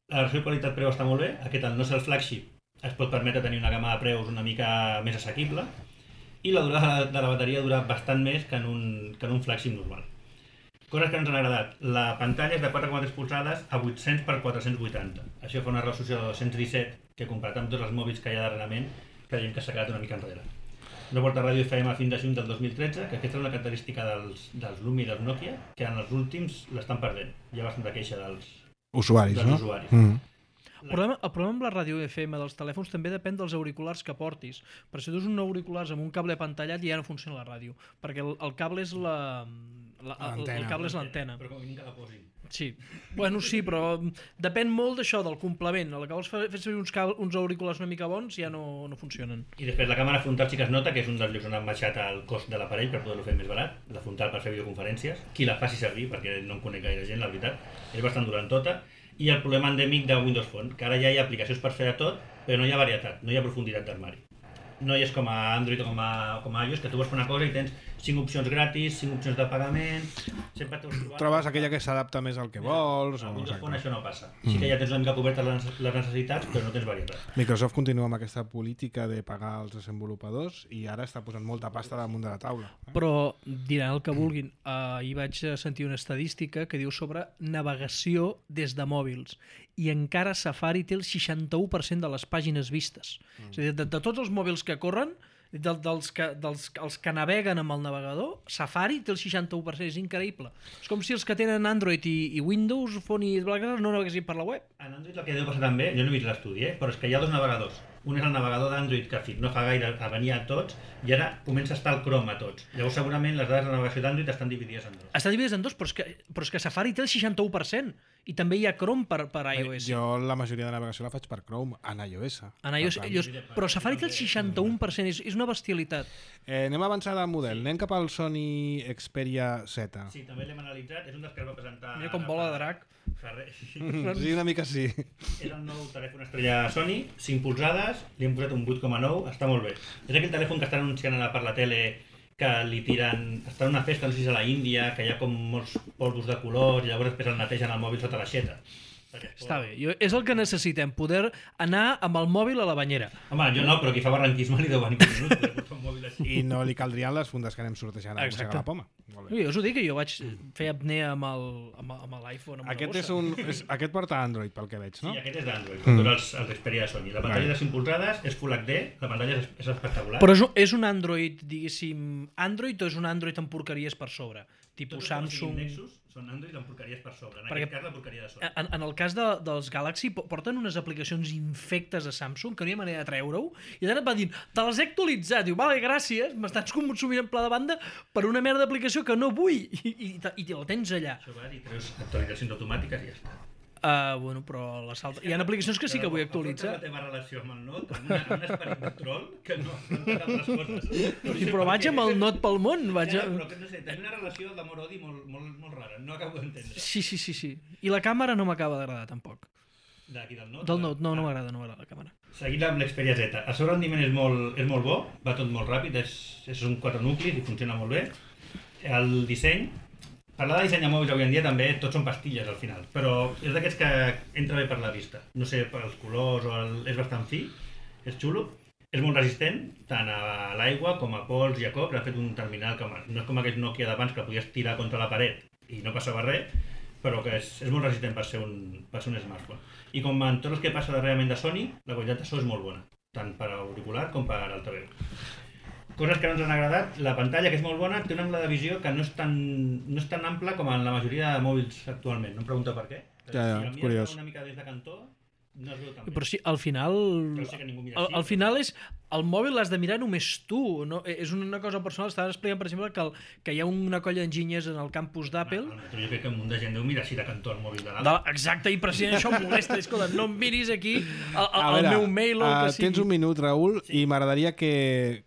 La versió qualitat-preu està molt bé, aquest al no ser el flagship es pot permetre tenir una gamma de preus una mica més assequible, i la durada de la bateria dura bastant més que en un flagship normal. Coses que ens han agradat. La pantalla és de 4,3 polzades a 800 x 480. Això fa una resolució de 217, que comparat amb tots els mòbils que hi ha darrerament, creiem que s'ha quedat una mica enrere. No porta ràdio FM fins a juny del 2013, que aquesta és una característica dels Lumia i dels Nokia, que en els últims l'estan perdent. Hi ha bastanta queixa dels usuaris. El problema amb la ràdio FM dels telèfons també depèn dels auriculars que portis. Per si tu has un auriculars amb un cable apantallat ja no funciona la ràdio, perquè el cable és l'antena. Però com a mínim que la posin. Sí, bueno, sí, però depèn molt d'això, del complement. A la que vols fer servir uns auriculars una mica bons ja no funcionen. I després la càmera frontal sí que es nota, que és un dels llocs on han baixat el cost de l'aparell per poder-lo fer més barat, la frontal per fer videoconferències. Qui la faci servir, perquè no en conec gaire gent, la veritat, és bastant durant tota. I el problema endèmic de Windows Phone, que ara ja hi ha aplicacions per fer de tot, però no hi ha varietat, no hi ha profunditat d'armari. no hi és com a Android o com a iOS, que tu vols fer una cosa i tens 5 opcions gratis, 5 opcions de pagament... Sempre trobes aquella que s'adapta més al que vols... A Windows Phone això no passa. Sí que ja tens una mica cobertes les necessitats, però no tens varietat. Microsoft continua amb aquesta política de pagar als desenvolupadors i ara està posant molta pasta damunt de la taula. Però diran el que vulguin. Ahir vaig sentir una estadística que diu sobre navegació des de mòbils i encara Safari té el 61% de les pàgines vistes. És a dir, de tots els mòbils que corren, els que naveguen amb el navegador, Safari té el 61%, és increïble. És com si els que tenen Android i Windows Phone i BlackBerry no naveguessin per la web. En Android el que deu passar també, jo no he vist l'estudi, però és que hi ha dos navegadors. Un és el navegador d'Android que no fa gaire venia a tots i ara comença a estar el Chrome a tots. Llavors segurament les dades de navegació d'Android estan dividides en dos. Estan dividides en dos, però és que Safari té el 61% i també hi ha Chrome per iOS. Jo la majoria de navegació la faig per Chrome, en iOS. En iOS, però Safari té el 61%, és una bestialitat. Anem a avançar de model, anem cap al Sony Xperia Z. Sí, també l'hem analitzat, és un dels que es va presentar... Mira com vola de drac. Sí, una mica sí. És el nou telèfon estrella Sony, 5 polzades, li hem posat un 8,9, està molt bé. És aquell telèfon que estan anunciant ara per la tele que li tiren... Està en una festa, no sé si és a la Índia, que hi ha com molts polvos de colors i llavors després el netegen el mòbil sota l'aixeta. Està bé, és el que necessitem, poder anar amb el mòbil a la banyera. Home, jo no, però qui fa barranquisme li deu venir per minuts, un mòbil així. I no li caldrien les fundes que anem sortejant a Mossega la Poma. Jo us ho dic, que jo vaig fer apnea amb l'iPhone. Aquest porta Android, pel que veig, no? Sí, aquest és d'Android, tots els Xperia de Sony. La pantalla de 5 polzades és Full HD, la pantalla és espectacular. Però és un Android, diguéssim, Android o és un Android amb porqueries per sobre? Tipus Samsung... Nexus són Android amb porqueries per sobre, en aquest cas la porqueria de Sony. En el cas dels Galaxy porten unes aplicacions infectes a Samsung que no hi ha manera de treure-ho i ara et va dir, te les he actualitzat, diu, vale, gràcies, m'estàs consumint en pla de banda per una merda d'aplicació que no vull i la tens allà. Això va dir, treus actualitzacions automàtiques i ja està. Bueno, però hi ha aplicacions que sí que vull actualitzar. La teva relació amb el Note, amb un esperit de troll que no fa altres coses. Però vaig amb el Note pel món. Però no sé, tenia una relació d'amor-odi molt rara, no acabo d'entendre. Sí. I la càmera no m'acaba d'agradar tampoc. D'aquí del Note? Del Note, no m'agrada la càmera. Seguint amb l'Xperia Z. El seu rendiment és molt bo, va tot molt ràpid, és un 4 nuclis i funciona molt bé. El disseny... Parlar de disseny de mòbils avui en dia també tots són pastilles al final, però és d'aquests que entra bé per la vista. No sé, per els colors és bastant fi, és xulo, és molt resistent, tant a l'aigua com a pols i a cops. Ha fet un terminal que no és com aquest Nokia d'abans que podies tirar contra la paret i no passava res, però que és molt resistent per ser un smartphone. I com en tots els que passa darrerament de Sony, la qualitat de so és molt bona, tant per auricular com per altaveu. Coses que no ens han agradat, la pantalla, que és molt bona, té un angle de visió que no és tan ample com en la majoria de mòbils actualment. No em pregunta per què. Ja, si el mires una mica des de cantó, no es veu tan bé. Però sí, al final... Però sé que ningú mira així. Al final és... El mòbil l'has de mirar només tu. No? És una cosa personal. Estava explicant, per exemple, que hi ha una colla d'enginyers en el campus d'Apple. Però jo crec que un munt de gent deu mirar així de cantó el mòbil de l'altre. Exacte, i precisament això em molesta. Escolta, no em miris aquí el meu mail o el que sigui. Tens un minut, Raül, i m'agradaria que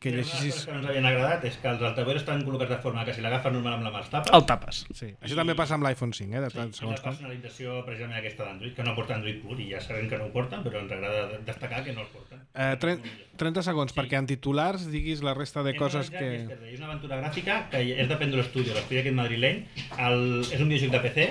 llegeixis... Una cosa que no ens havien agradat és que els altaveus estan col·locats de forma que si l'agafes normal amb la mà els tapes. El tapes. Sí. Això també passa amb l'iPhone 5, de tant segons com. La personalització precisament aquesta d'Android, que no porta Android pur, i ja sabem que no ho porten, però ens agrada destacar que no el porten. 30 segons, perquè en titulars diguis la resta de coses que... És una aventura gràfica que és de Pendulum Studio, l'estudi aquest madrileny. És un videojoc de PC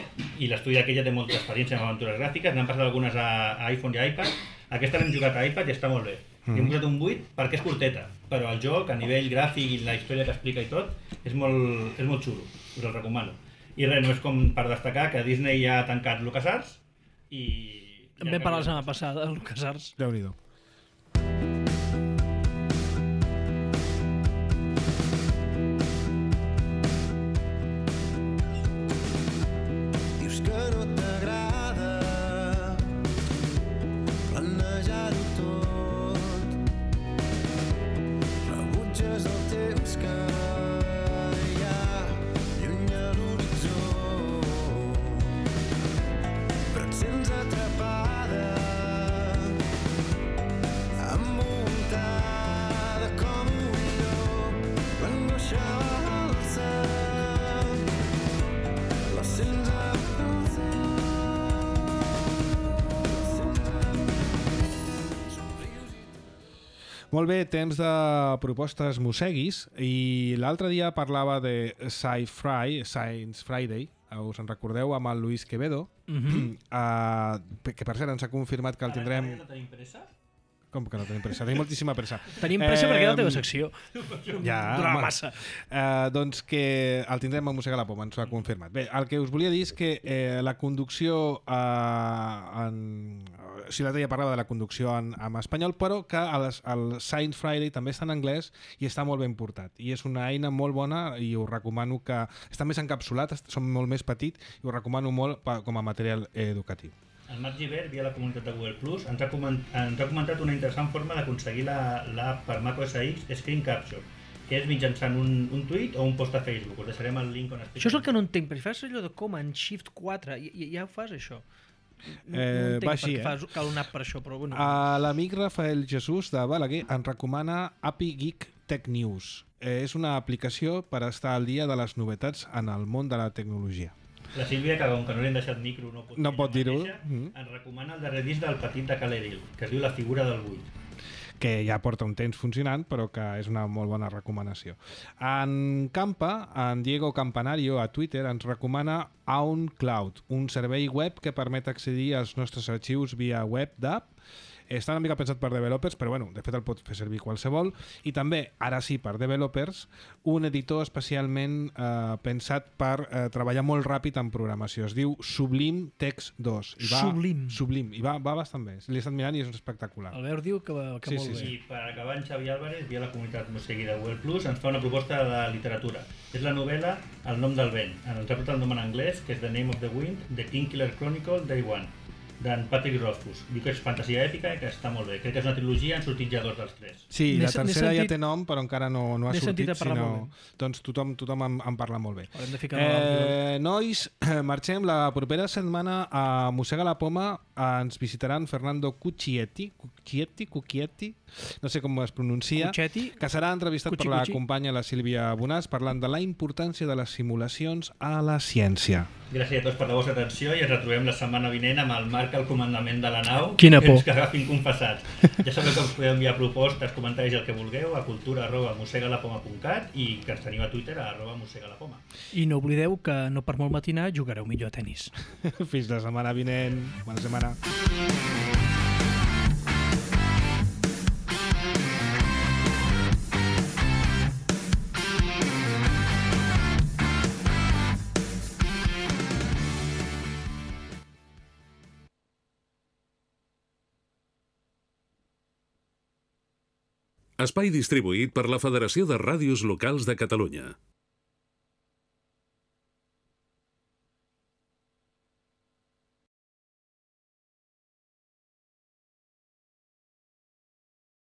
i l'estudi aquell ja té molta experiència amb aventures gràfiques, n'han passat algunes a iPhone i a iPad. Aquesta l'hem jugat a iPad i està molt bé. Li hem posat un 8 perquè és curteta, però el joc a nivell gràfic i la història que explica i tot és molt xulo, us el recomano. I res, no és com per destacar que Disney ja ha tancat LucasArts i... En vam parlar la setmana passada de LucasArts. Déu-n'hi-do. Molt bé, temps de propostes mosseguis, i l'altre dia parlava de Science Friday, us en recordeu, amb el Luis Quevedo, que per cert ens ha confirmat que el tindrem... No tenim pressa? Com que no tenim pressa? Tenim moltíssima pressa. Tenim pressa perquè és la teva secció. Ja, durarà massa. Doncs que el tindrem a Mossega la Poma, ens ho ha confirmat. Bé, el que us volia dir és que la conducció si l'altre dia parlava de la conducció en espanyol, però que el Science Friday també està en anglès i està molt ben portat. I és una eina molt bona i us recomano que... Està més encapsulat, som molt més petit i us recomano molt com a material educatiu. El Marc Givert, via la comunitat de Google+, ens ha comentat una interessant forma d'aconseguir l'app per macOS X Screen Capture, que és mitjançant un tuit o un post a Facebook. Us deixarem el link on explica. Això és el que no entenc, perquè fas allò de Command Shift 4, ja ho fas, això. No entenc va així, perquè cal una app per això, però bueno. L'amic Rafael Jesús de Balaguer ens recomana API Geek Tech News. És una aplicació per estar al dia de les novetats en el món de la tecnologia. La Sílvia, que com que no li han deixat micro no pot dir-ho, ens recomana el darrer disc del petit de Caleril, que es diu La figura del buit. Que ja porta un temps funcionant, però que és una molt bona recomanació. En Campa, en Diego Campanario a Twitter ens recomana OwnCloud, un servei web que permet accedir als nostres arxius via web d'app. Està una mica pensat per developers, però bueno, de fet el pot fer servir qualsevol. I també, ara sí, per developers, un editor especialment pensat per treballar molt ràpid en programació. Es diu Sublime Text 2. Sublime. I va bastant bé. L'he estat mirant i és espectacular. Albert diu que molt bé. I per acabar, en Xavi Álvarez, via la comunitat Mossegui de Google+, ens fa una proposta de literatura. És la novel·la El nom del vent. Ens ha portat el nom en anglès, que és The Name of the Wind, The Kingkiller Chronicle, Day One, d'en Patrick Rothfuss. Diu que és fantasia èpica i que està molt bé. Crec que és una trilogia, han sortit ja 2 dels 3. Sí, la tercera ja té nom, però encara no ha sortit, sinó... doncs tothom en parla molt bé. Haurem de ficar nois, marxem. La propera setmana a Mossega la Poma ens visitaran Fernando Cucchietti, no sé com es pronuncia, que serà entrevistat per la companya la Sílvia Bonàs parlant de la importància de les simulacions a la ciència. Gràcies a tots per la vostra atenció i ens retrobem la setmana vinent amb el Marc al comandament de la nau. Quina por. Que agafin confessats. Ja sabeu que us podeu enviar propostes, comentaris, el que vulgueu a cultura@mossegalapoma.cat i que ens teniu a Twitter a @mossegalapoma. I no oblideu que no per molt matinar jugareu millor a tenis. Fins la setmana vinent. Bona setmana. Espai distribuït per la Federació de Ràdios Locals de Catalunya.